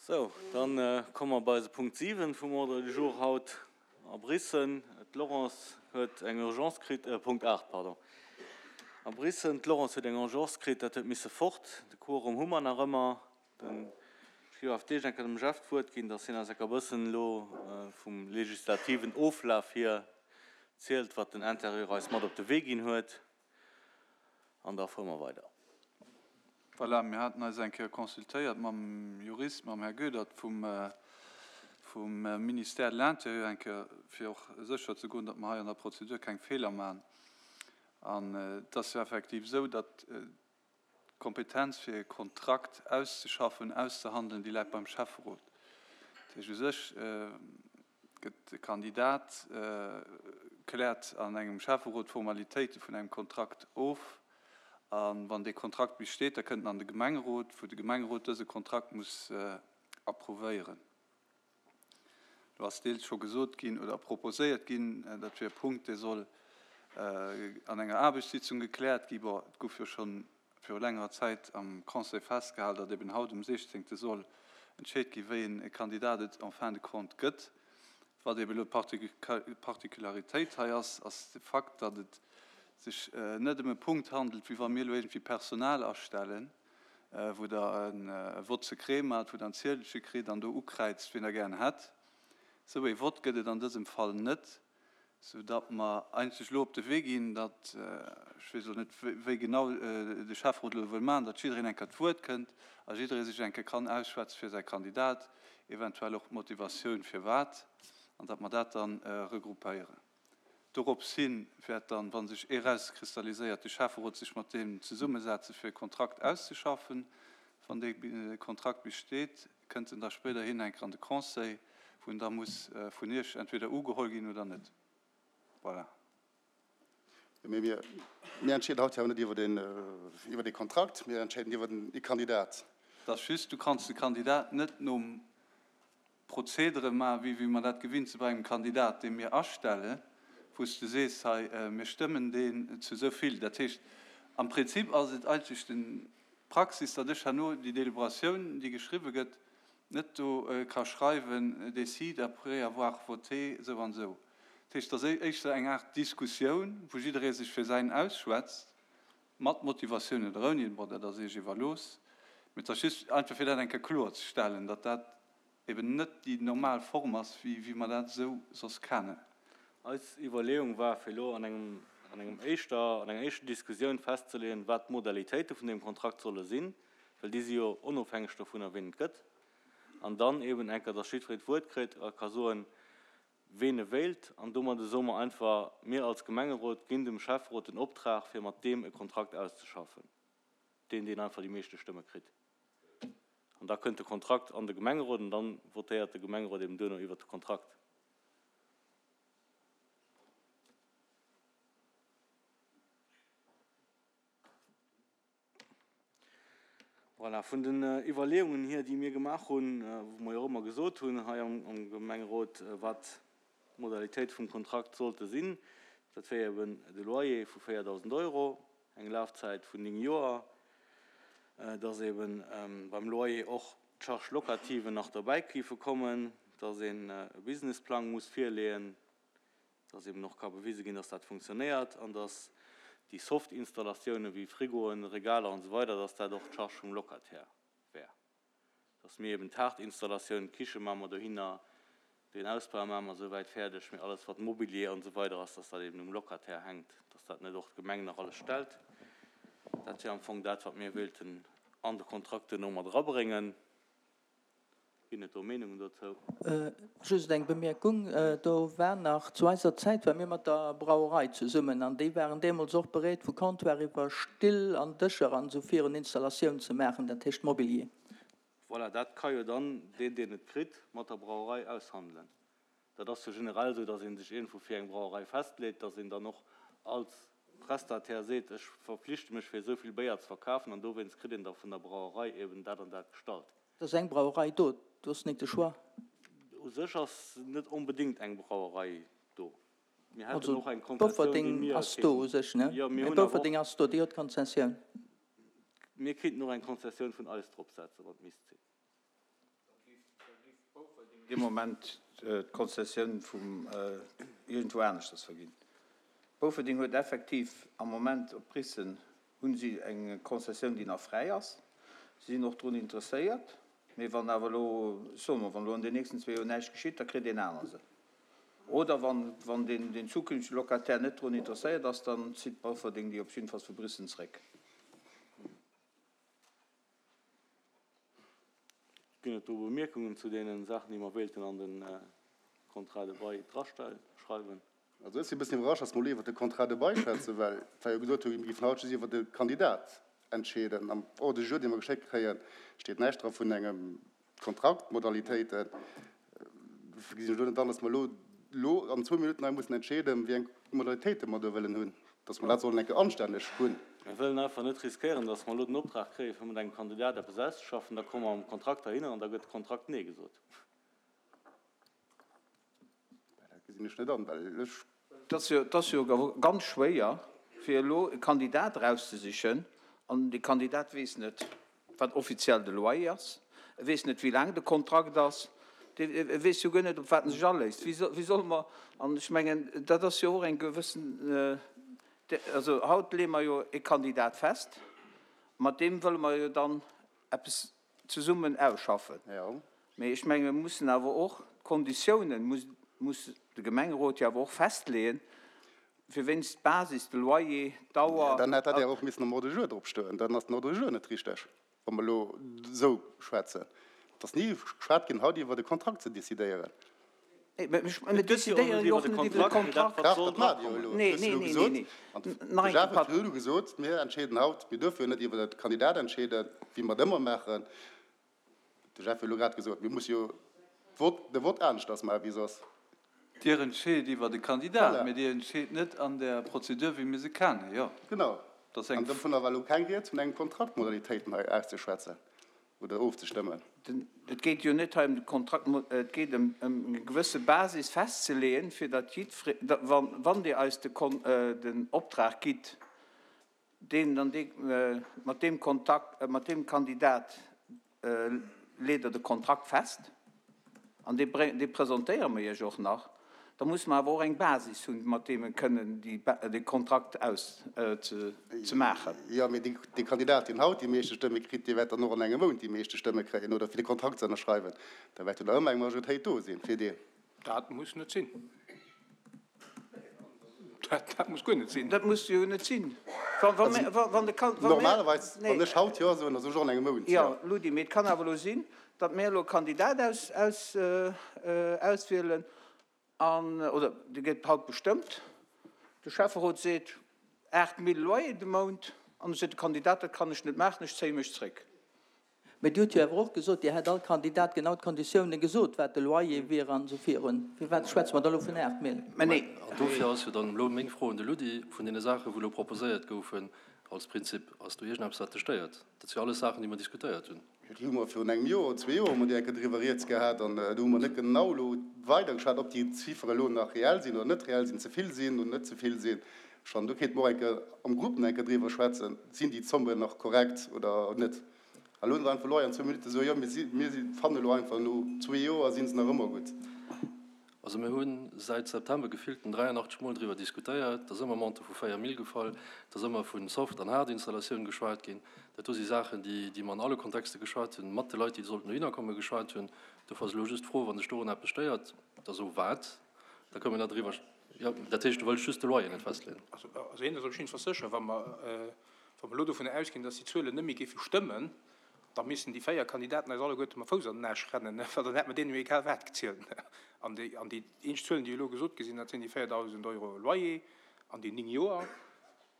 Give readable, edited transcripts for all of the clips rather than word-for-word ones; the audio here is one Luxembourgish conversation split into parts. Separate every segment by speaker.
Speaker 1: Sou, da komme mer bei eise Punkt 7 vum Ordre du jour haut a Brissen. D'Laurence huet eng Urgence kritt, Punkt 8, pardon, a Brissen. D'Laurence huet eng Urgence kritt, dat huet misse fort. De Quorum hu mer nach ëmmer. Den, ech géif awer d'éischt eng Kéier dem Jeff d'Wuert ginn, dass hien eis enker e bëssen elo vum legislativen Oflaf hier zielt, wat den Intérieur eis mat op de Wee ginn huet. An da fuere mer weider.
Speaker 2: Voilà, mir haten eis eng Kéier consultéiert mam Jurist, mam Här Goedert vum, vum Ministère de l'Intérieur, eng Kéier, fir och sécher ze goen, datt mer hei an der Prozedur keng Feeler maachen. An et ass jo effektiv esou, datt D'Kompetenz fir e Kontrakt auszeschaffen, auszehandelen, déi läit beim Schäfferot. Dat heescht, u sech gëtt de Kandidat, kläert an engem Schäfferot d'Formalitéite vun engem Kontrakt of. A wann dee Kontrakt besteet, da kënnt en an de Gemengerot, wou de Gemengerot dëse Kontrakt muss approuvéieren. Do ass deels scho gesot ginn oder proposéiert ginn, dat wier e Punkt, dee soll an enger Aarbechtssitzung gekläert ginn. Bon, et gouf jo scho viru längerer Zäit am Conseil festgehalen, datt eben haut um 16. soll entscheet ginn, wéi e Kandidat et en fin de compte gëtt. Wat eben elo d'Particularitéit hei ass, ass de Fakt, datt et sech net ëm e Punkt handelt, wéi wa mir elo iergendwéi Personal astellen, wou Der e Vote secret maacht, wou Der en Ziedelche kritt an do ukräizt, wien Der gären hätt. Esou ee Vott gëtt et an dësem Fall net, soudatt mer eigentlech elo op de Wee ginn, datt, ech weess elo net, wéi genau de Schäfferot elo wëll maachen, datt jiddereen eng Kéier d'Wuert kënnt a jidderee sech eng Kéier kann ausschwätze fir säi Kandidat, eventuell och d'Motivatioun firwat, an datt mer dat dann regroupéieren. Dorops hin wäert dann, wa sech ee rauskristalliséiert, de Schäfferot sech mat deem zesummesetzen, fir e Kontrakt auszeschaffen. Wann dee Kontrakt besteet, kënnt en da spéiderhin eng Kéier an de Conseil, wou en da muss vun Iech entweder ugeholl ginn oder net. Voilà.
Speaker 3: Mee mir, mir entscheeden haut jo awer net iwwer deen, iwwer dee Kontrakt, mir entscheeden iwwer den, ee Kandidat.
Speaker 2: Et ass just, du kanns de Kandidat net nom Prozedere maachen, wéi wéi mer dat gewinnt si bei engem Kandidat, dee mir astellen, wou s de sees, hei, mir stëmmen deen zu esou vill. Dat heescht, am Prinzip ass et eigentlech d'Praxis, datt ech herno déi Deliberatioun, déi geschriwwe gëtt, net do ka schreiwen, décide après avoir voté esou an esou. Dat heescht, et ass éischter eng Aart Diskussioun, wou jidderee sech fir säin ausschwätzt, Mat Motivatioun oder ouni, bon, dat ass Iech iwwerlooss. Mee et ass just einfach, fir dat eng Kéier kloerzestellen, datt dat eben net déi normal Form ass, wéi, wéi mer dat esou soss kennen.
Speaker 1: Eis Iwwerleeung war, fir elo an engem, an engem éischter, an enger éischter Diskussioun festzeleeën, wat d'Modalitéite vun deem Kontrakt solle sinn, well déi si jo onofhängeg dovunner, wien et gëtt, an dann eben eng Kéier, datt jiddweree d'Wuert kritt a ka soen, ween e wéilt, an domadde soe mer einfach, mir als Gemengerot ginn dem Schäfferot den Optrag, fir mat deem e Kontrakt auszeschaffen, deen, deen einfach déi meeschte Stëmme kritt. An da kënnt de Kontrakt an de Gemengerot an dann votéiert de Gemengerot eben duerno iwwert de Kontrakt. Voilà, vun den Iwwerleeungen hier, déi mir gemaach hunn, wou mer jo och ëmmer gesot hunn hei am Gemengerot, wat d'Modalitéite vum Kontrakt sollte sinn, dat wär eben de Loyer vu 4.000 Euro, eng Lafzäit vun 9 Joer, dass eben beim Loyer och d'Charges locatives nach derbäi géife kommen, dass een e Businessplang muss virleeën, dass eben och ka bewise ginn, dass dat funktionéiert an dass déi soft Installatiounen wéi Frigoen, Regaler an esou weider, dass dat och d'Charge vum Locataire wär. Dass mir eben d'haart Installatioun, d'Kiche maache mer dohinner, den Ausbau maache mer esouwäit fäerdeg, mee alles wat Mobilier an esou weider ass, dass dat eben um Locataire hänkt, dass dat net och d'Gemeng nach alles stellt. Dat wär am Fong dat, wat mir wéilten an de Kontrakt duerno mat erabréngen. Ginn et do Meenungen dozou?
Speaker 4: Just eng Bemierkung, Do war nach, zu eiser Zäit ware mir mat der Brauerei zesummen an déi waren deemools och bereet, vu Comptoir iwwer Still an Dëscher an esou virun Installatioun ze maachen, dat heescht Mobilier.
Speaker 1: Voilà, dat ka jo dann deen, deen et kritt, mat der Brauerei aushandelen. Dat ass jo generell esou, datt ee sech iergendwou fir eng Brauerei festleet, datt een dann och als Prestataire seet, ech verpflichte mech fir esou vill Béier ze verkafen an dowéinst kritt een da vun der Brauerei eben dat an dat gestallt.
Speaker 4: Et ass eng Brauerei do, do ass nik de Choix.
Speaker 1: U sech ass net onbedéngt eng Brauerei do. Mir hätten och eng Konzessioun, déi mir
Speaker 4: Bofferding ass do u sech, ne?
Speaker 1: Jo, mir hunn awer och.
Speaker 4: Bofferding ass do, déi huet d'Konzessioun.
Speaker 1: Mir kéinten och eng Konzessioun vun eis dropsetzen, wann et misst sinn.
Speaker 5: Bouferding dee Moment d'Konzessioun vum iergendwou aneschters verginn. Bouferding huet effektiv am Moment op Bissen hu si eng Konzessioun, déi nach fräi ass. Si sinn och drun interesséiert. Mee wann awer elo, soe mer, wann elo an den nächsten zwee Joer näischt geschitt, da kritt een aner se. Oder wann, wann deen, deen zukünftege Locataire net drun interesséiert ass, dann zitt Bouferding déi op jiddefalls vu Bissen zréck.
Speaker 1: Ginn et do Bemierkungen zu deene Saachen, déi mer wéilten an de Contrat de bail draschreiwen?
Speaker 3: Also ech sinn e bëssen iwwerrascht, dass mer elo iwwert de Contrat de bail schwätzen, well et war jo gesot, mir géifen haut just iwwert de Kandidat entscheeden. Am Ordre du jour, dee mer geschéckt kréien, steet näischt dra vun engem Kontrakt, Modalitéiten. Dofir gesinn ech elo net an, dass mer elo elo an zwou Minutten hei mussen entscheeden, wéi eng Modalitéite mer do wëllen hunn, dass mer dat sollen eng Kéier anstänneg hunn.
Speaker 1: Mir wëllen einfach net riskéieren, dass mer elo den Optrag kréien, fir mat engem Kandidat eppes auszeschaffen, da komme mer mam Kontrakt heihinner an da gëtt de Kontrakt Nee gesot.
Speaker 3: Dat gesinn ech net an, well ech.
Speaker 5: Et ass jo ganz schwéier, fir elo e Kandidat erauszesichen, an dee Kandidat weess net, wat offiziell de Loyer ass, e weess net, wéi laang de Kontrakt ass, e weess jo guer net, op wat en sech aléisst. Wéi solle mer, an ech mengen, dat ass jo och eng gewëssen, also haut leeë mer jo e Kandidat fest, mat deem wëlle mer jo dann eppes zesummen ausschaffen. Mee ech menge mir mussen awer och d'Konditiounen, muss, muss de Gemengerot jo awer och festleeën, fir wéinst d'Basis, de Loyer, d'Dauer.
Speaker 3: Dann hätt dat jo och missen am Ordre du jour drop stoen. Dann ass den Ordre du jour net richteg, wa mer elo esou schwätzen. Et ass ni geschwat ginn haut iwwer e Kontrakt ze decidéieren.
Speaker 5: Mir decidéieren jo och net iwwer de Kontrakt.
Speaker 3: Dach, dat maacht Dir jo elo. Du hues elo gesot, an de Jeff huet elo gesot, mir entscheeden haut, mir duerfe jo net iwwer de Kandidat entscheeden, wéi mer et ëmmer maachen. De Jeff huet elo grad gesot, mir musse jo de Vott aneschters maachen wéi soss.
Speaker 2: Dir entscheet iwwer de Kandidat, mä Dir entscheet net an där Prozedur, wéi mir se kennen, jo.
Speaker 3: Genau. An dovunner war elo keng Rieds, vun engem Kontraktmodalitéiten hei auszeschwätzen oder ofzestëmmen.
Speaker 5: Et geet jo net hei ëm de Kontrakt, et geet ëm eng gewësse Basis festzeleeën, fir datt jiddfre, wann Dir eis den Optrag gitt, deen an dee, mat deem Kontakt, mat deem Kandidat leet Der de Kontrakt fest an dee bréng, dee presentéiere mer Iech och nach. Da musse mer awer och eng Basis hunn, mat deem mer kënnen déi, dee Kontrakt aus, ze, ze maachen.
Speaker 3: Jo, mee dee, dee Kandidat, deen haut déi meeschte Stëmme kritt, dee wäert dann och an engem Mount déi meeschte Stëmme kréien, oder fir de Kontrakt ze ënnerschreiwen. Da wäert jo nach ëmmer eng Majoritéit do sinn fir deen.
Speaker 6: Dat muss net sinn. Dat muss guer net sinn.
Speaker 5: Dat muss jo net sinn.
Speaker 3: Normalerweis, wann ech haut Jo soen, da soe ech och an engem Mount Jo.
Speaker 5: Jo, Ludi, mee et kann awer elo sinn, datt mir elo e Kandidat auswielen an, oder dee gëtt haut bestëmmt, de Schäfferot seet 8.000 Loyer de Mount, an da seet de Kandidat, dat kann ech net maachen, ech zéie mech zréck.
Speaker 4: Mä Dir hutt jo awer och gesot, Dir hätt all Kandidat genau d'Konditiounen gesot, wat de Loyer wier an esou virun. Firwat schwätze mer da elo vun 8 Mille?
Speaker 5: Mä nee.
Speaker 7: An dofir ass jo dann elo meng Fro un de Ludi, Vun deene Saachen, wou elo proposéiert goufen als Prinzip, ass do iergendeppes, wat dech stéiert? Dat si jo alles Saachen, déi mer diskutéiert hunn.
Speaker 3: Jo, déi hu mer virun engem Joer oder zwee Joer hu mer déi eng Kéier driwwer rieds gehat an do hu mer net genau elo weidergeschwat, ob déi Chiffere elo nach reell sinn oder net reell sinn, ze vill sinn oder net ze vill sinn. Schonn do kéinte mer och eng Kéier am Grupp nach eng Kéier driwwer schwätzen, Sinn déi Zommen nach korrekt oder net? A lo einfach elo hei an zwou Minutte soen, jo mir si, mir si fannen elo einfach no zwee Joer si se nach ëmmer gutt.
Speaker 7: Also mir hu säit September gefillten 83 Mol driwwer diskutéiert, et ass ëmmer Montant vu 4 Mille gefall, et ass ëmmer vu Soft an Hard-Installatioun geschwat ginn. Dat do si Saachen, déi, déi mer an alle Kontexte geschwat hunn, mat de Leit, déi sollten dohinner kommen, geschwat hunn. Dofir ass elo just d'Fro, wa sech dorun eppes stéiert, da so wat, da kënnen mer da driwwer, jo, dat heescht, du wëlls just de Loyer net festleeën.
Speaker 6: Also eent ass op jidde Fall sécher, wa mer Wa mer elo dovun ausginn, dass déi Zuelen net méi géife stëmmen, da missten déi 4 Kandidaten eis alleguerte mam Fouss an den Aarsch rennen, well dann hätt mer deenen jo egal wat gezielt. An déi, an déi eenzeg Zuelen, déi elo gesot gi sinn, dat sinn déi 4.000 Euro Loyer an déi 9 Joer.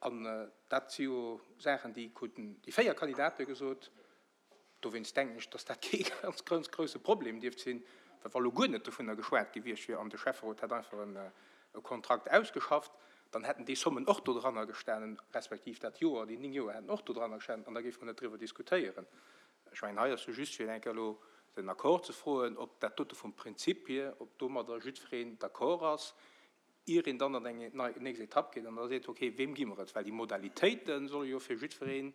Speaker 6: An dat si jo Saachen, déi kruten déi 4 Kandidate gesot. Dowéinst denken ech, dass dat kee ganz, ganz grouse Problem dierft sinn, well wa lo guer net dovunner geschwat gewiescht wier an de Schäfferot hätt einfach e Kontrakt ausgeschafft, dann hätten déi Sommen och dodranner gestanen, respektiv dat Joer, déi 9 Joer hätten och dodranner gestanen an da géife mer net driwwer diskutéieren. Ech mengen, hei ass jo just fir eng Kéier elo den Accord ze froen, ob dat dote vum Prinzip hier, ob domadder jiddwereen d'accord ass, ier een dann an eng nächst Etapp geet an da seet, okay, weem gi mer et? Well déi Modalitéite solle jo fir jiddweree.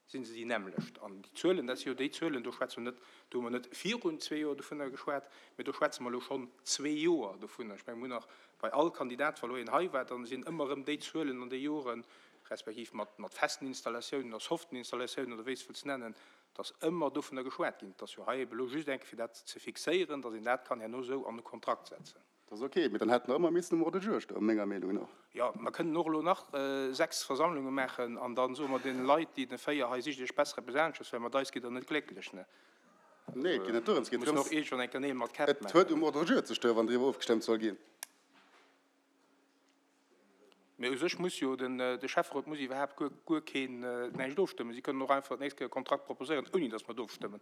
Speaker 6: Si se déi nämmlecht. An déi Zuelen, dat si jo déi Zuelen, do schwätze mer net, do hu mer net virun zwee Joer dovunner geschwat, mä do schwätze mer elo schonn zwee Joer dovunner. Ech mengen, mir hunn nach bei all Kandidat, wa elo een hei war, da sinn ëmmer erëm déi Zuelen an déi Joren, respektiv mat, mat festen Installatiounen oder soften Installatiounen oder wéi s de wëlls nennen, dass ëmmer dovunner geschwat ginn. Et ass jo hei ebe elo just eng Kéier fir dat ze fixéieren, dass een dat kann herno esou an e Kontrakt setzen.
Speaker 3: Dat ass ok, mee dann hätt en ëmmer missen um Ordre du jour stoen, menger Meenung no.
Speaker 6: Jo, mer kënnen och elo nach 6 Versammlunge maachen an da soe mer deene Leit, déi den 4 hei, sicht iech besser eppes anesches, well mat eis gitt der net glécklech, ne?
Speaker 3: Nee, et geet net dorëms, et geet
Speaker 6: Mussen och iergendwann eng Kéier Neel mat Käpp
Speaker 3: et huet um Ordre du jour ze stoen, wann driwwer ofgestëmmt soll ginn.
Speaker 6: Mee u sech muss jo den, de Schäfferot muss iwwerhaapt guer, guer keen, näischt ofstëmmen. Si kënnen och einfach d'nächst Kéier e Kontrakt proposéieren, ouni datt mer et ofstëmmen.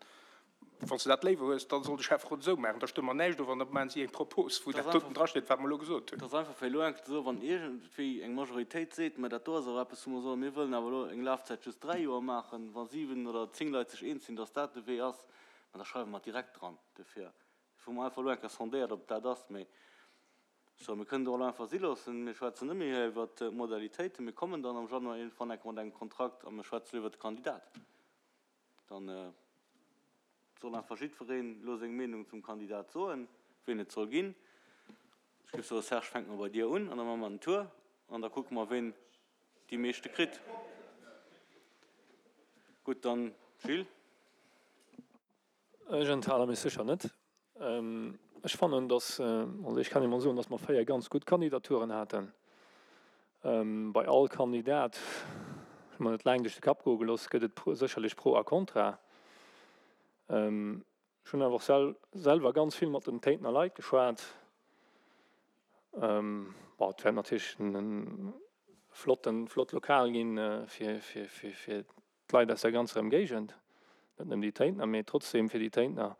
Speaker 6: Wann s de dat léiwer hues, da soll de Schäfferot esou maachen. Da stëmme mer näischt of an da maachen si eng Propos, wou dat doten drasteet, wat mer elo gesot hunn.
Speaker 1: Et ass einfach fir elo enk ze soen, wann iergendwéi eng Majoritéit seet, mä dat do ass awer eppes, wou mer soen, mir wëllen awer elo eng Lafzäit just 3 Joer maachen, wa 7 oder 10 Leit sech eens sinn, datt dat de Wee ass, mä da schreiwe mer et direkt dran. Dofir hu mer einfach elo eng Kéier sondéiert, ob et dat ass. Mee Sou, mir kënnen et och elo einfach si loossen. Mir schwätzen net méi hei iwwert d'Modalitéiten. Mir kommen dann am Januar iergendwann enke mat engem Kontrakt a mir schwätzen elo iwwert de Kandidat. Dann soll einfach jiddwereen elo seng Meenung zum Kandidat soen, wien et soll ginn. Ech géif soen, Serge, fänke mer bei dir un an da maache mer den Tour an da kucke mer, wien déi meeschte kritt. Gutt, dann Gilles.
Speaker 7: Ech enthale mech sécher net. Ech fannen, dass, also ech kann emol soen, dass mer 4 ganz gutt Kandidaturen haten. Bei all Kandidat, ech hu mer net laang duerch de Kapp goe gelooss, gëtt et sécherlech Pro a Contra. Ech hunn awer och selwer ganz vill mat den Téintener Leit geschwat. Bon, et wäert natierlech e flotten, flott Lokal ginn, fir, fir, fir d'Leit aus der ganzer Emgéigend, net nëmmen déi Téintener, mee trotzdem fir déi Téintener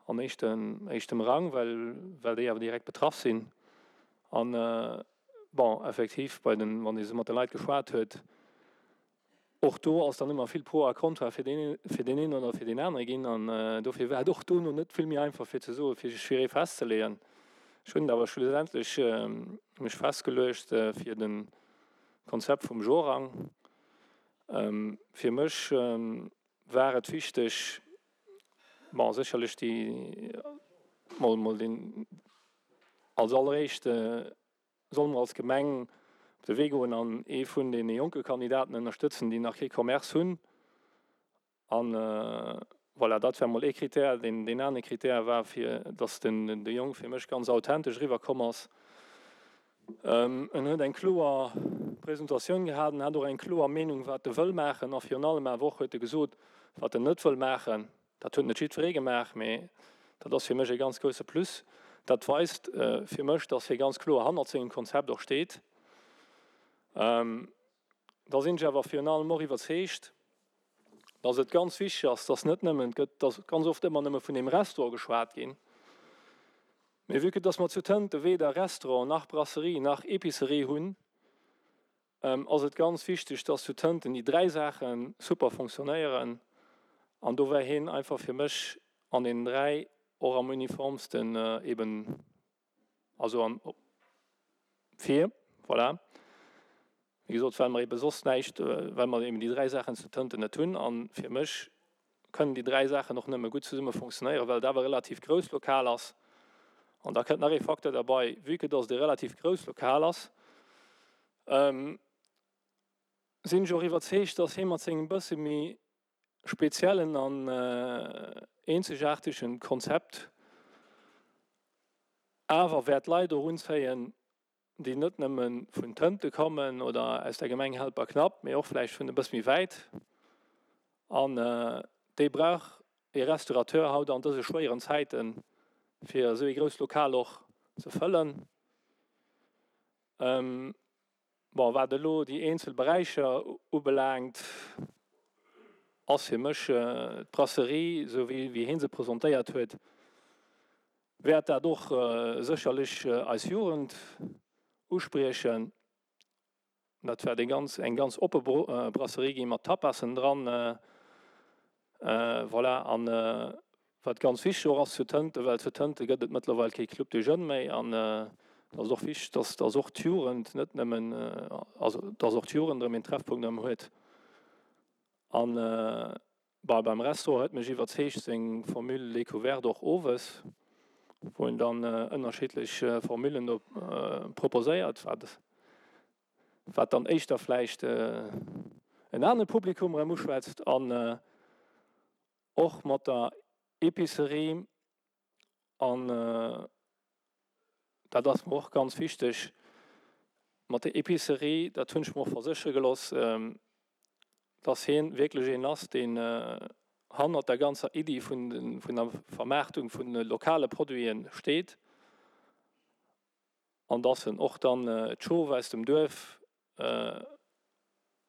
Speaker 7: an éischtem, éischtem Rang, well, well déi awer direkt betraff sinn. An, bon, effektiv, bei den, wann ee sou mat de Leit geschwat huet, och do ass dann ëmmer vill Pro a Contra fir deen, fir deen een oder fir deen anere ginn. An dofir war et och dono net vill méi einfach fir ze soen, fir sech fir ee festzeleeën. Ech hunn et awer schlussendlech mech festgeluecht fir de Konzept vum Jorang. Fir mech war et wichteg, bon sécherlech déi mol mol deen als alleréischt solle mer als Gemeng op de Wee goen an ee vun deene jonke Kandidaten ënnerstëtzen, déi nach kee Commerce hunn. An voilà, dat war mol ee Critère. Deen, deen anere Critère war fir, dass den, de Jong fir mech ganz authentesch eriwwer komm ass. En huet eng kloer Presentatioun gehat, en hat och eng kloer Meenung, wat e wëll maachen a virun allem awer och huet e gesot, wat en net wëll maachen. Dat huet net jiddweree gemaach, mee dat ass fir mech e ganz grousse Plus. Dat weist fir mech, dass hie ganz kloer hannert sengem Konzept och steet. Da sinn ech awer virun allem och iwwerzeegt, dass et ganz wichteg ass, dass net nëmmen, et gëtt dass ganz oft ëmmer nëmme vun deem Restaurant geschwat ginn, mee vue que dass mer zu Tënte weder Restaurant nach Brasserie nach Épicerie hunn, ass et ganz wichteg, dass zu Tënten déi dräi Saache super fonctionnéieren. An do war hien einfach fir mech an deenen dräi och am uniformsten eben Also an fir, voilà, wéi gesot, well mer ebe soss näischt, well mer eben déi dräi Saachen zu Tënten net hunn. A fir mech kënnen déi dräi Saachen och nëmme gutt zesumme fonctionnéieren, well et awer e relativ grousst Lokal ass. An da kënnt nach ee Facteur derbei, Vue que dass et e relativ grousst Lokal ass, sinn ech och iwwerzeegt, dass hie mat sengem bësse méi speziellen an eenzegaartegen Konzept awer wäert Leit och unzéien, déi net nëmme vun Tënte kommen oder aus der Gemeng Helperknapp, mee och vläicht vun e bësse méi wäit. An déi brauch ee Restaurateur haut an dëse schwéieren Zäiten, fir esou ee grousst Lokal och ze fëllen. Bon, wat elo déi eenzel Beräicher ubelaangt, ass fir mech d'Brasserie, esou wéi hie se presentéiert huet, wäert dat och sécherlech eis Jugend uspriechen. Dat wäert eng ganz, eng ganz oppe Brasserie gi mat Tapassen dran. Voilà, an wat ganz wichteg och ass zu Tënten, well zu Tënte gëtt et mëttlerweil kee Club des Jeunes méi an et ass och wichteg, dass dass och d'Jugend net nëmmen, also dass och d'Jugend erëm een Treffpunkt erëm huet. An bon, beim Restaurant huet mech iwwerzeegt seng Formule Découverte och owes, wou en dann ënnerschiddlech Formulen do proposéiert, wat wat dann éischter vläicht en anere Publikum erëm uschwätzt. An och mat der Epicerie an dat ass mer och ganz wichteg, mat der Epicerie, dat hunn ech mer och verséchere gelooss, dass hien wierklech een ass, deen hannert der ganzer Iddi vun der Vermaartung vun lokale Produite steet an dass en och dann d'Schof aus dem Duerf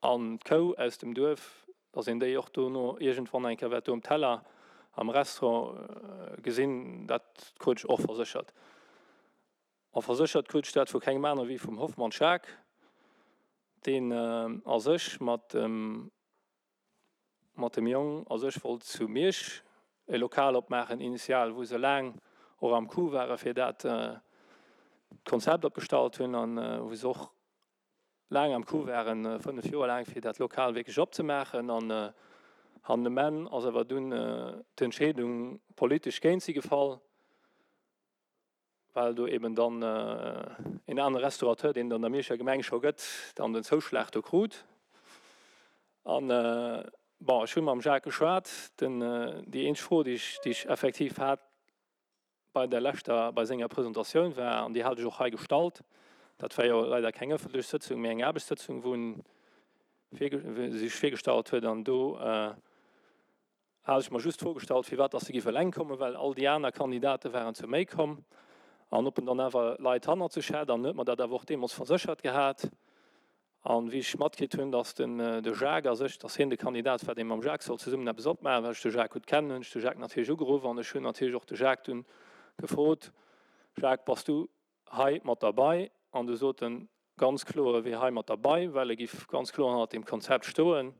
Speaker 7: An d'Kou aus dem Duerf, dass een déi och dono iergendwann eng Kéier wäert do um Teller am Restaurant gesinn, dat krut ech och verséchert. A verséchert krut ech dat vu kengem anere wéi vum Hoffmann Jacques, deen a sech mat dem, mat dem Jong a sech wollt zu Miersch e Lokal opmaachen initial, wou se laang och am Coup ware fir dat Konzept opgestallt hunn an wou se och laang am Coup waren, 5 Joer laang, fir dat Lokal wierklech opzemaachen. An han um Enn ass awer dunn d'Entscheedung politesch géint si gefall, well do eben dann en anere Restaurateur, deen et an der Mierscher Gemeng scho gëtt, dann den Zouschlag do krut. An, bon, ech hu mam Jacques geschwat. Den, déi eenzeg Fro, déi ech, déi ech effektiv hat, bei der leschter, bei senger Presentatioun war, an déi hat ech och hei gestallt, dat war jo leider keng ëffentlech Sëtzung, mee eng Aarbechtssëtzung, wou en sech virgestallt huet, an do hat ech mer just d'Fro gestallt, firwat dass e géif eleng kommen, well all déi aner Kandidate waren zu méi komm, an ob en dann awer Leit hannert sech hätt, an en huet mer dat awer och deemools verséchert gehat. An wéi ech matkritt hunn, dass den de Jacques a sech, dass hien de Kandidat war, dee mam Jacques sollt zesummen eppes opmaachen, well ech de Jacques gutt kennen, hunn ech de Jacques natierlech ugeruff an ech hunn natierlech och de Jacques dunn gefrot, Jacques, bass du hei mat derbei? An du sot en ganz kloer, e wier hei mat derbei, well e giff ganz kloer hannert deem Konzept stoen.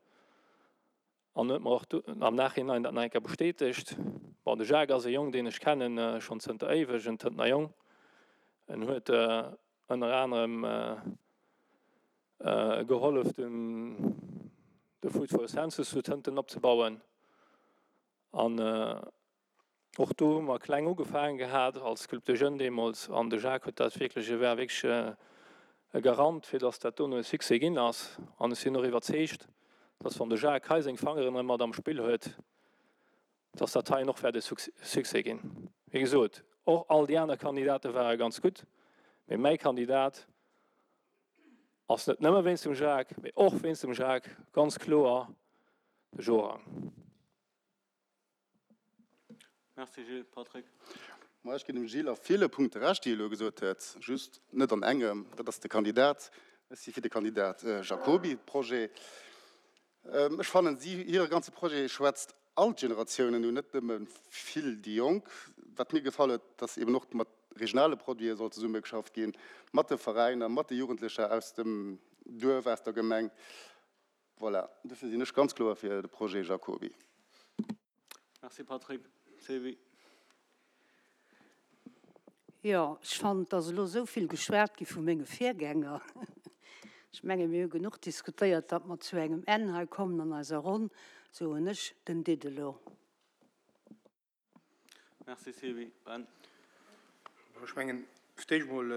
Speaker 7: An huet mer och am Nachhinein dat nach eng Kéier bestätegt. Bon, de Jacques ass e Jong, deen ech kennen schonn zënter éiweg, en Tëntener Jong. En huet ënner anerem gehollef de Food for Census zu Tënten opzebauen. An och do hu mer kleng ugefaangen gehat als Club des Jeunes deemools. An de Jacques huet dat wierklech, e war wierklech e Garant, fir datt dat dono e Succès ginn ass. An ech sinn och iwwerzeegt, datt wann de Jacques hei seng Fangeren erëm mat am Spill huet, dass dat heien och wäert e Succès ginn. Wéi gesot, och all déi aner Kandidate ware ganz gutt, mee mäi Kandidat ass net nëmme wéinst dem Jacques, mee och wéinst dem Jacques ganz kloer de Jorang.
Speaker 1: Merci Gilles. Patrick.
Speaker 3: Ma ech ginn dem Gilles a ville Punkte Recht, déi e elo gesot huet, just net an engem, dat ass de Kandidat. Ech si fir de Kandidat Jacoby, Projet. Ech fannen, si, hire ganze Projet schwätzt all d'Generatiounen un, net nëmme vill déi Jonk. Wat mir gefall huet, dass eben och mat regionale Produite soll zesummegeschafft ginn, mat de Veräiner, mat de Jugendlecher aus dem Duerf, aus der Gemeng. Voilà, dofir sinn ech ganz kloer fir de Projet Jacoby.
Speaker 1: Merci Patrick. Sylvie.
Speaker 8: Jo, ech fannen, et ass elo esou vill geschwat gi vu menge Virgänger. Ech menge mir hu genuch diskutéiert, datt mer zu engem Enn hei kommen an eiser Ronn, soen ech den Didelot.
Speaker 1: Merci Sylvie. Ben.
Speaker 6: Ech mengen, fir d'éischt emol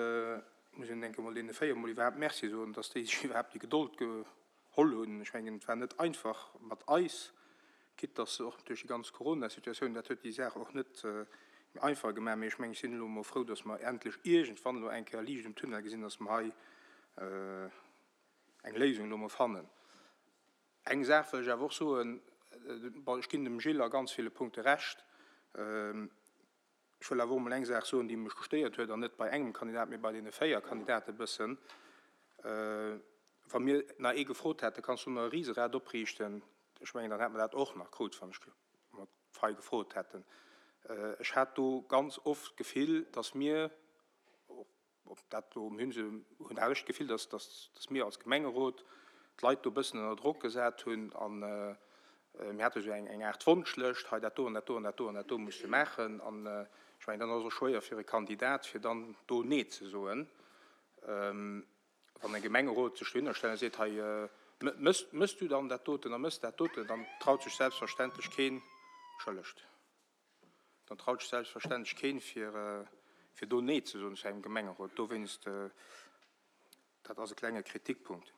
Speaker 6: muss een, denke mol, deene 4 emol iwwerhaapt Merci soen, datt déi sech iwwerhaapt déi Gedold geholl hunn. Ech mengen, et war net einfach mat eis, quitte dass se och duerch déi ganz Corona-Situatioun, dat huet déi Saach och net méi einfach gemaach, mee ech mengen, ech sinn elo emol frou, dass mer endlech iergendwann elo eng Kéier Liicht um Tunnel gesinn, dass mer hei eng Léisung elo emol fannen. Eng Saach wëll ech awer och soen, bon, ech ginn dem Gilles a ganz ville Punkte Recht, Ech wëll awer och emol eng Saach soen, déi mech gestéiert huet, an net bei engem Kandidat, mee bei deene 4 Kandidate e bëssen. Wa mir nach ee gefrot hätten, Kanns du nach e Riserad opriichten? Ech mengen, dann hätte mer dat och nach krut, wann ech mer d'Fei gefrot hätten. Ech hat do ganz oft d'Gefill, dass mir, Ob dat elo, mir hunn se, hunn hat ech d'Gefill, dass, dass, dass mir als Gemengerot d'Leit do e bëssen ënner Drock gesat hunn an mir hate sou eng, eng Aart Wonschlëscht, hei dat do an dat do an dat do an dat do muss de maachen. An ech mengen, dann ass et och schwéier fir e Kandidat, fir dann do Nee ze soen. Wann e Gemengerot sech dohinner stellt a seet, hei. Mëss du dann dat doten a mëss dat doten, dann traut sech selbstverständlech keen, entschëllegt, dann traut sech selbstverständlech keen, fir, fir do Nee ze soen zu engem Gemengerot. Dowéinst, dat ass e klenge Kritikpunkt.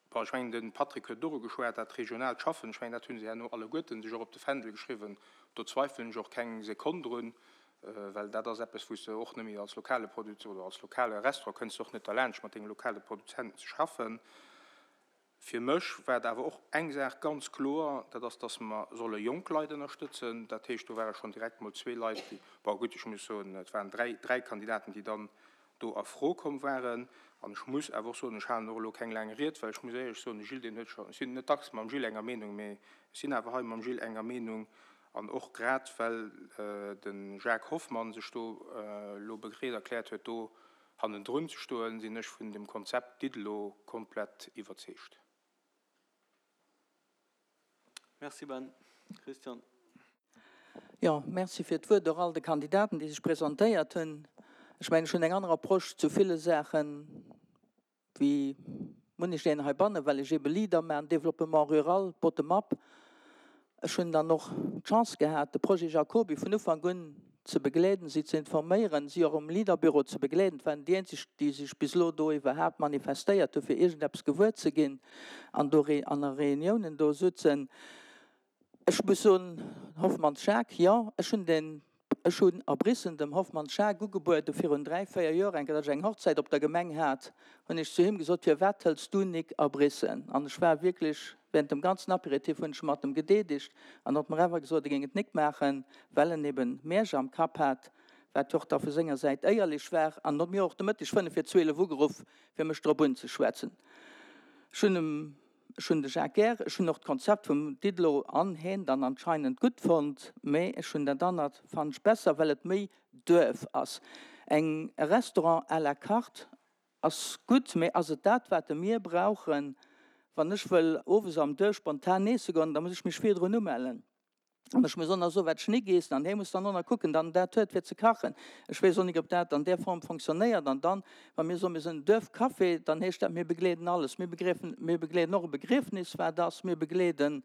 Speaker 6: Bon, ech mengen, de Patrick huet doru geschwat, dat regionaalt Schaffen, ech mengen, dat hu se herno alleguerten sech och op de Fändel geschriwwen. Do zweifelen ech och keng Sekonn drun, well dat ass eppes, wou s de och net méi als lokale Produzent oder als lokale Restaurant kënns de och net derlaanscht, mat denge lokale Produzenten ze schaffen. Fir mech war et awer och eng Saach ganz kloer, dat ass, dass mer solle jonk Leit ënnerstëtzen. Dat heescht, do ware schonn direkt mol zwee Leit, déi, bon gutt, ech muss soen, et waren dräi, dräi Kandidaten, déi dann do a Fro komm waren. An ech muss awer och soen, ech halen och elo keng laang Ried, well ech muss éierlech soen, de Gilles, deen huet scho, ech sinn net dacks mam Gilles enger Meenung, mee ech sinn awer hei mam Gilles enger Meenung, an och grad well de Jacques Hoffmann sech do elo bereet erkläert huet, do hannendrun ze stoen, sinn ech vun dem Konzept Diddelo komplett iwwerzeegt.
Speaker 1: Merci Ben. Christian.
Speaker 4: Jo, merci fir d'Wuert och all de Kandidaten, déi sech presentéiert hunn. Ech mengen, ech hunn eng aner Approche zu ville Saachen wéi munnech een heibannen, well ech eebe Leader maachen, Développement rural, bottom-up. Ech hunn dann och d'Chance gehat, de Projet Jacoby vun Ufank un ze begleeden, si ze informéieren, si och um Leader-Büro ze begleeden. Et waren déi eenzeg, déi sech bis elo do iwwerhaapt manifestéiert hu fir iergendeppes gewuer ze ginn an do an a Reuniounen do sutzen. Ech muss soen, Hoffmanns Jacques, jo, ech hunn deen, ech hunn a Brissen dem Hoffmanns Jacques ugebuede virun dräi, véier Joer eng Kéier, datt ech eng Hochzäit op der Gemeng hat, hunn ech zu him gesot, Firwat hëls du nik a Brissen? An ech war wierklech, während dem ganzen Apéritif hunn ech mat em gedeedegt an huet mer awer gesot, e géing et nik maachen, well en eben Märsch am Kapp hat, wat jo och da vu senger Säit éierlech war, an huet mir och de Mëtteg fënnef vir 12 ugeruff, fir mech drop unzeschwätzen. Ech hunn em, ech hunn de Jacques gär, ech hunn och d'Konzept vum Didelot an heen dann anscheinend gutt fonnt, mä ech hunn dat anert fannen ech besser, well et méi Duerf ass. Eng e Restaurant à la carte Ass gutt, mee ass et dat wat mir brauchen? Wann ech wëll owes am Duerf spontan eesse goen, da muss ech mech virdrun umellen. An ech muss och nach soen, wat ech nik eessen. An hee muss dann och nach kucken, dann dat huet fir ze kachen. Ech weess och nik, ob dat an där Form fonctionnéiert. An dann, wa mir soen, mir sinn en Duerfcafé, dann heescht dat, mir begleeden alles. Mir begleeden och e Begriefnis, wat ass. Mir begleeden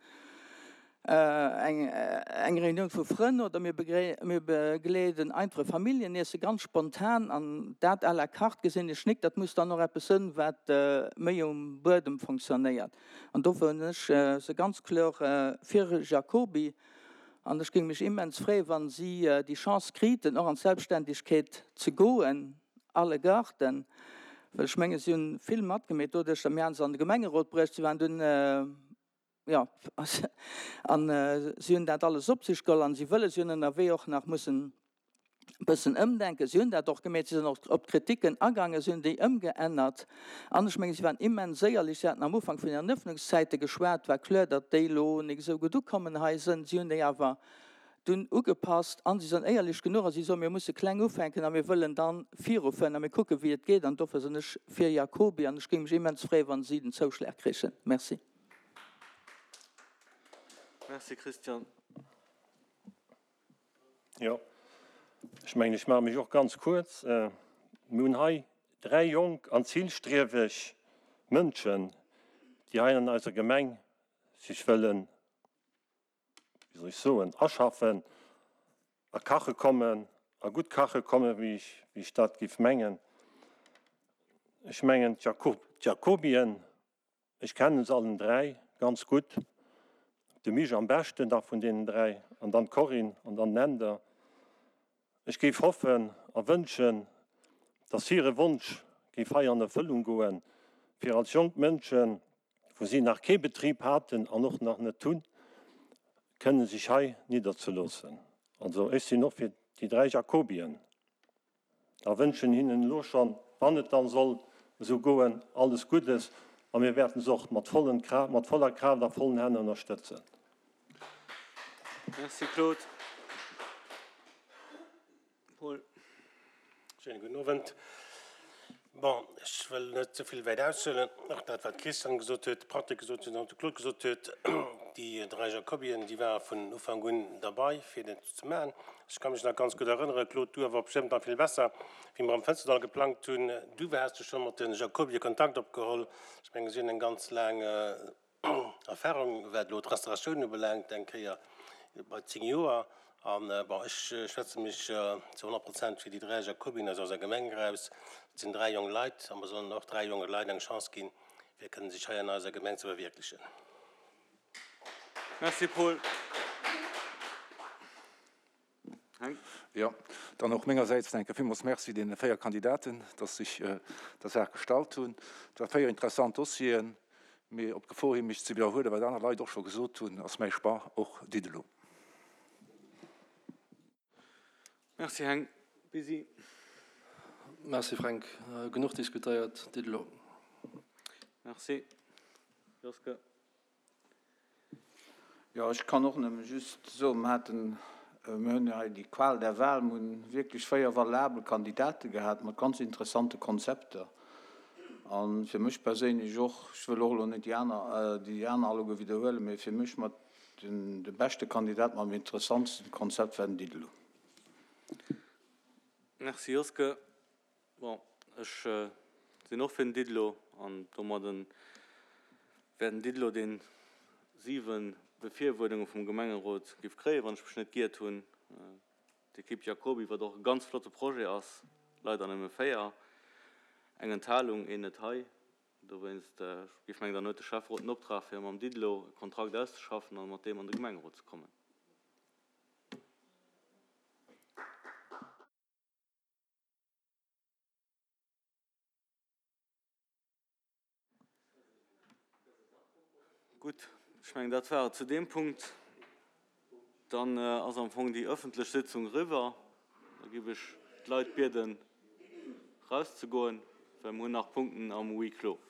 Speaker 4: eng Reunioun vu Frënn oder mir begleeden einfach e Familljeniessen, ganz spontan an dat à la carte gesinn ech nik. Dat muss dann och eppes sënn, wat méi um Buedem fonctionnéiert. An dofir hunn ech se ganz kloer fir Jacoby an ech géing mech immens freeën, wa si déi Chance kriten, och an d'Selbstständegkeet ze goen, allegarten, well ech menge si hunn vill matgemeet doduerch, datt mir hate se an de Gemengerot bruecht, si waren dunn, Jo, an si hunn dat alles op sech geholl an si wëlle, si hunn ënnerwee och nach mussen e bëssen ëmdenken. Si hunn dat och gemeet, si sinn och op d'Kriticken agaangen, si hunn déi ëmgeännert. An ech mengen, si waren immens éierlech. Si haten am Ufank vun hiren Ëffnungszäite geschwat, war kloer, datt déi elo nik esou gutt ukommen hei sënn. Si hunn déi awer dunn ugepasst an si sinn éierlech genuch a si soen, mir musse kleng ufänken a mir wëllen da virufueren a mir kucken, wéi et geet. An dofir sinn ech fir Jacoby an ech géing mech immens freeën, wa si den Zouschlag krichen. Merci.
Speaker 1: Merci Christian.
Speaker 9: Jo, ech mengen, ech maache mech och ganz kuerz. Mir hunn hei dräi jonk an zilstrieweg Mënschen, déi hei an eiser Gemeng sech wëllen, wéi soll ech soen, aschaffen a kache kommen a gutt kache kommen, wéi ech, wéi ech dat géif mengen. Ech mengen, d'Jacobien Ech kennen se allen 3 ganz gutt, de Mich am beschten da vun deenen 3 an dann d'Corinne an dann den Änder. Ech géif hoffen a wënschen, dass hire Wonsch géif hei an Erfëllung goen, fir als jonk Mënschen, wou si nach kee Betrib haten an och nach net hunn, kënnen sech hei nidderzeloossen. Also ech sinn och fir déi 3 Jacobien. A wënschen hinnen elo schonn, wann et dann soll esou goen, alles Guddes a mir wäerten se och mat vollen mat voller Kraaft a vollen Hänn ënnerstëtzen.
Speaker 1: Merci Claude.
Speaker 10: Paul. Schéine gudden Owend. Bon, ech wëll net ze vill wäit aushuelen, och dat wat d'Christiane gesot huet, de Patrick gesot huet an de Claude gesot huet. Déi 3 Jacobien, déi ware vun Ufank un derbei, fir dat ze maachen. Ech ka mech nach ganz gutt erënnere, Claude, du awer bestëmmt nach vill besser, wéi mer am Fënsterdall geplangt hunn. Du has du scho mat de Jacobie Kontakt opgeholl. Ech menge si hunn eng ganz laang Erfahrung, wat elo d'Restauratioun ubelaangt, eng Kéier bei 10 Joer. An, bon, ech schwätze mech zu 100 Prozent fir déi 3 Jacobien aus eiser Gemeng eraus. Et sinn 3 jonk Leit a mer sollen och 3 jonke Leit eng Chance ginn, fir kënnen sech hei an eiser Gemeng ze verwierklechen.
Speaker 1: Merci, Paul.
Speaker 11: Heng. Jo, dann och mengersäits enke villmools Merci deene 4 Kandidaten, dass sech der Saach gestallt hunn. Et war 4 interessant Dossieren, mee op d'Gefor hin, mech ze widderhuelen, wat aner Leit och scho gesot hunn, ass mäi Choix och Didelot.
Speaker 1: Merci Heng. Busy.
Speaker 7: Merci Fränk. Genuch diskutéiert. Didelot.
Speaker 1: Merci Joske.
Speaker 5: Jo, ech kann och nëmme just soen, mer haten, mir hunn hei déi Qual der Wahl, mer hunn wierklech 4 valabel Kandidate gehat mat ganz interessante Konzepter. A fir mech perséinlech och, ech wëll och elo net déi aner, déi aner alleguer widderhuelen, mee fir mech mat den, de beschte Kandidat mam interessantsten Konzept war den Didelot.
Speaker 1: Merci Joske. Bon, ech sinn och fir den Didelot an domadden wär den Didelot deen 7 Befirwuerdunge vum Gemengerot giff kréien, wann ech mech net giert hunn. D'Equipe Jacoby, wat och e ganz flotte Projet ass, leider nëmme 4, eng Enthalung, een net hei. Dowéinst giff mengen, dann huet de Schäfferot den Optrag fir mam Didelot e Kontrakt auszeschaffen an mat deem an de Gemengerot ze kommen. Gutt, ech mengen, dat war et zu deem Punkt. Dann ass am Fong déi ëffentlech Sitzung eriwwer. Da géif ech d'Leit bieden, erauszegoen, well mir hunn nach Punkten am Huis clos.